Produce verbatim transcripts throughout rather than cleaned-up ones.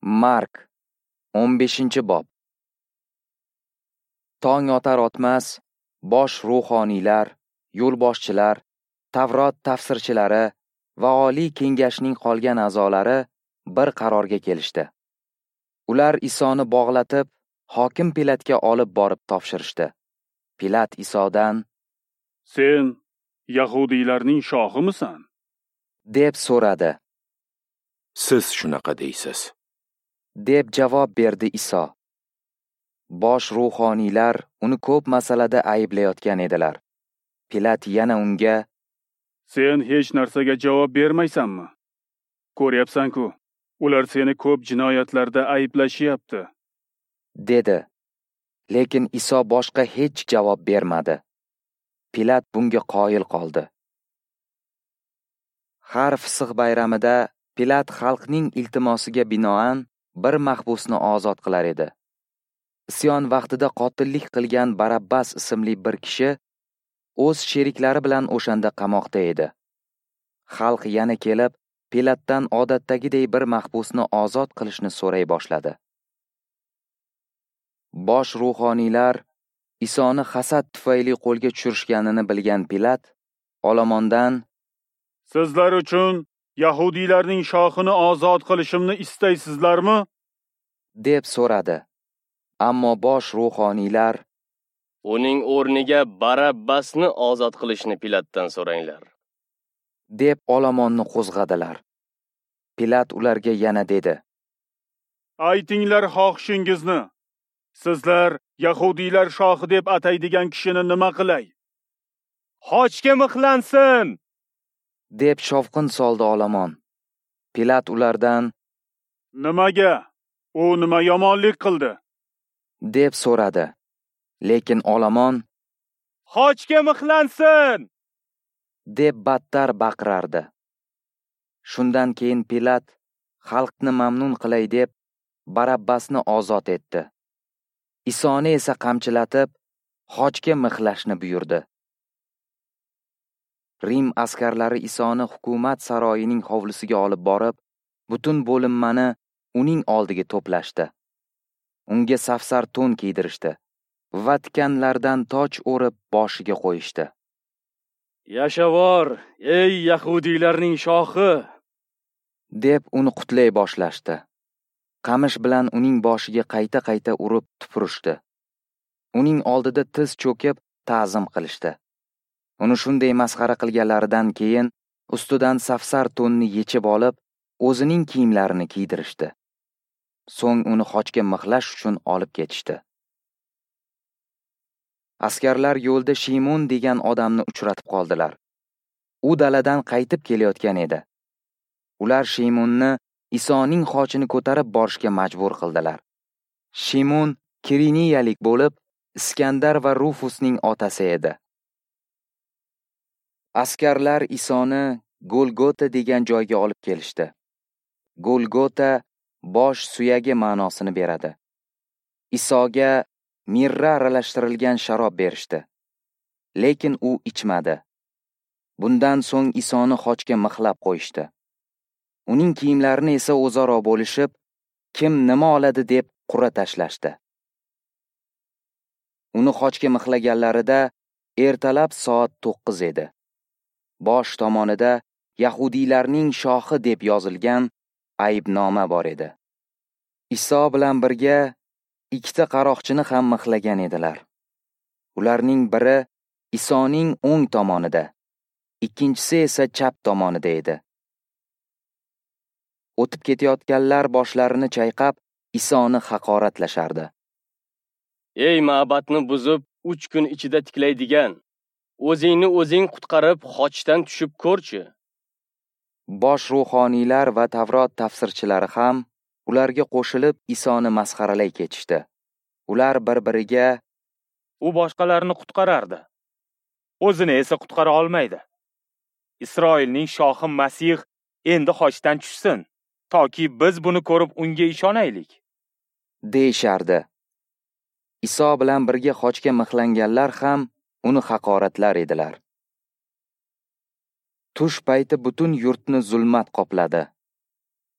Mark o'n beshinchi bob. Tong otar otmas bosh ruhoniylar, yo'lboshchilar, Tavrot tafsirchilari va oliy kengashning qolgan a'zolari bir qarorga kelishdi. Ular Isoni bog'latib, hokim Pilatga olib borib topshirishdi. Pilat Isodan: "Sen yahudiylarning shohimisan?" deb so'radi. "Siz shunaqa deysiz", deb javob berdi Iso. Bosh ruhoniylar uni ko'p masalada ayblayotgan edilar. Pilat yana unga: "Sen hech narsaga javob bermaysanmi? Ko'ryapsan-ku, ular seni ko'p jinoyatlarda ayblashyapti", dedi. Lekin Iso boshqa hech javob bermadi. Pilat bunga qoyil qoldi. Har Fisq bayramida Pilat xalqning iltimosiga binoan bir mahbusni ozod qilar edi. Isyon vaqtida qotillik qilgan Barabbas ismli bir kishi o'z sheriklari bilan o'shanda qamoqda edi. Xalq yana kelib, Pilatdan odatdagiday bir mahbusni ozod qilishni so'ray boshladi. Bosh ruhoniylar Isoni hasad tufayli qo'lga tushirishganini bilgan Pilat olomondan: "Sizlar uchun yahudiylarning shohini ozod qilishimni istaysizlarmi?" deb so'radi. Ammo bosh ruhoniylar: "Uning o'rniga Barabbasni ozod qilishni Pilatdan so'ranglar", deb olomonni qo'zg'adilar. Pilat ularga yana dedi: "Aytinglar xohishingizni. Sizlar yahudiylar shohi deb ataydigan kishini nima qilay?" "Xochga mixlansin!" deb shovqin soldi olomon. Pilat ulardan: "Nimaga? U nima yomonlik qildi?" deb so'radi. Lekin olomon: "Xochga mixlansin!" deb battar baqirardi. Shundan keyin Pilat xalqni mamnun qilay deb Barabbasni ozod etdi. Isoni esa qamchilatib, xochga mixlashni buyurdi. Rim askarlari Isoni hukumat saroyining hovlisiga olib borib, butun bo'linmani uning oldiga to'plashdi. Unga safsar to'n kiydirishdi va tikanlardan toj o'rib boshiga qo'yishdi. "Yashavor, ey yahudiylarning shohi!" deb uni qutlay boshlashdi. Qamish bilan uning boshiga qayta-qayta urib tupurishdi. Uning oldida tiz cho'kib ta'zim qilishdi. Uni shunday masxara qilganlaridan keyin ustidan safsar to'nni yechib olib, o'zining kiyimlarini kiydirishdi. So'ng uni xochga mixlash uchun olib ketishdi. Askarlar yo'lda Shimon degan odamni uchratib qoldilar. U daladan qaytib kelayotgan edi. Ular Shimonni Isoning xochini ko'tarib borishga majbur qildilar. Shimon Kiriniyalik bo'lib, Iskandar va Rufusning otasi edi. Askarlar Isoni Golgota degan joyga olib kelishdi. Golgota bosh suyagi ma'nosini beradi. Isoga mirra aralashtirilgan sharob berishdi. Lekin u ichmadi. Bundan so'ng Isoni xochga mixlab qo'yishdi. Uning kiyimlarini esa o'zaro bo'lishib, kim nima oladi deb qur'a tashlashdi. Uni xochga mixlaganlarida ertalab soat to'qqiz edi. Bosh tomonida yahudiylarning shohi deb yozilgan aybnoma bor edi. Iso bilan birga ikkita qaroqchini ham mixlagan edilar. Ularning biri Isoning o'ng tomonida, ikkinchisi esa chap tomonida edi. O'tib ketayotganlar boshlarini chayqab, Isoni haqoratlashardi. "Ey ma'batni buzib, uch kun ichida tiklaydigan, o'zingni o'zing qutqarib, xochdan tushib ko'rchi." Bosh ruhoniylar va Tavrot tafsirchilari ham ularga qo'shilib Isoni masxaralay ketishdi. Ular bir-biriga: "U boshqalarni qutqarardi, o'zini esa qutqara olmaydi. Isroilning shohi Masih endi xochdan tushsin, toki biz buni ko'rib unga ishonaylik", deyishardi. Iso bilan birga xochga mixlanganlar ham uni haqoratlar edilar. Tush payti butun yurtni zulmat qopladi.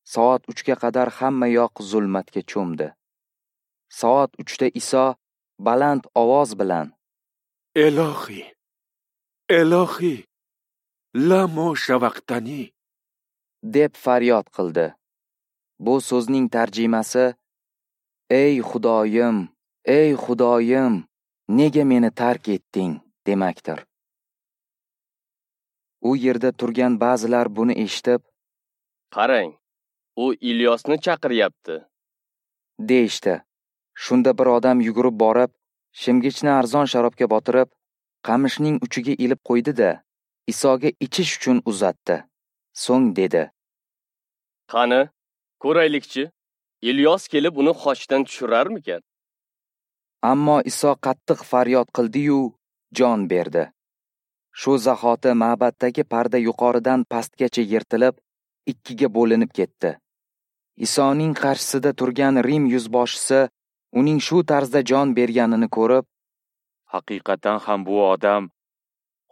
Soat uchga qadar hamma yoq zulmatga cho'mdi. Soat uchda Iso baland ovoz bilan: Elohi, Elohi, lamo shavaqtani, deb faryod qildi. Bu so'zning tarjimasi: Ey Xudoyim, ey Xudoyim, nega meni tark etding, demakdir. U yerda turgan ba'zilar buni eshitib, Qarang, u Ilyosni chaqiryapti, deyishdi. Shunda bir odam yugurib borib, shimgichni arzon sharobga botirib, qamishning uchiga ilib qo'ydi-da, Isoga ichish uchun uzatdi. So'ng dedi: Qani, ko'raylikchi, Ilyos kelib uni xochdan tushirarmikan? Ammo Iso qattiq faryod qildi-yu, jon berdi. Shu zahoti ma'baddagi parda yuqoridan pastgacha yirtilib, ikkiga bo'linib ketdi. Isoning qarshisida turgan Rim yuzboshisi uning shu tarzda jon berganini ko'rib, Haqiqatan ham bu odam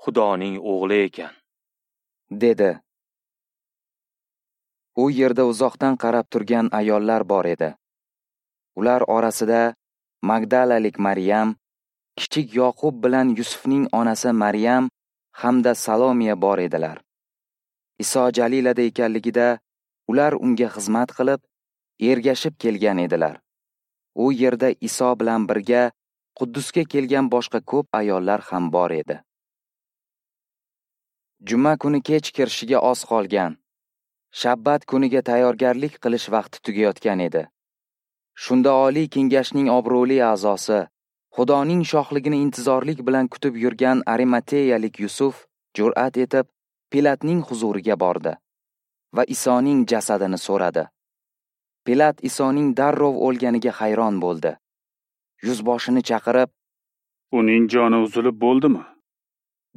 Xudoning o'g'li ekan, dedi. U yerda uzoqdan qarab turgan ayollar bor edi. Ular orasida Magdalalik Maryam, kichik Yoqub bilan Yusufning onasi Maryam hamda Salomiya bor edilar. Iso Jalilada ekanligida ular unga xizmat qilib, ergashib kelgan edilar. U yerda Iso bilan birga Quddusga kelgan boshqa ko'p ayollar ham bor edi. Juma kuni kech kirishiga oz qolgan. Shabbat kuniga tayyorgarlik qilish vaqti tugayotgan edi. Shunda Oliy Kengashning obro'li a'zosi, Xudoning shohligini intizorlik bilan kutib yurgan Arimateyalik Yusuf jur'at etib Pilatning huzuriga bordi va Isoning jasadini so'radi. Pilat Isoning darrov o'lganiga hayron bo'ldi. Yuzboshini chaqirib, Uning joni uzilib bo'ldimi?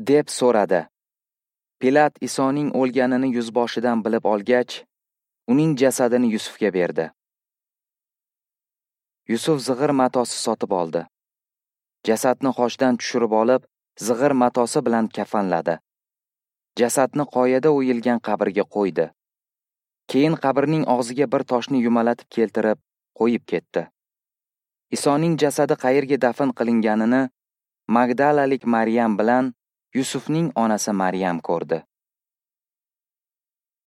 deb so'radi. Pilat Isoning o'lganini yuzboshidan bilib olgach, uning jasadini Yusufga berdi. Yusuf zig'ir matosi sotib oldi. Jasadni xochdan tushirib olib, zig'ir matosi bilan kafanladi. Jasadni qoyada o'yilgan qabrga qo'ydi. Keyin qabrning og'ziga bir toshni yumalatib keltirib, qo'yib ketdi. Isoning jasadi qayerga dafn qilinganini Magdalalik Maryam bilan Yusufning onasi Maryam ko'rdi.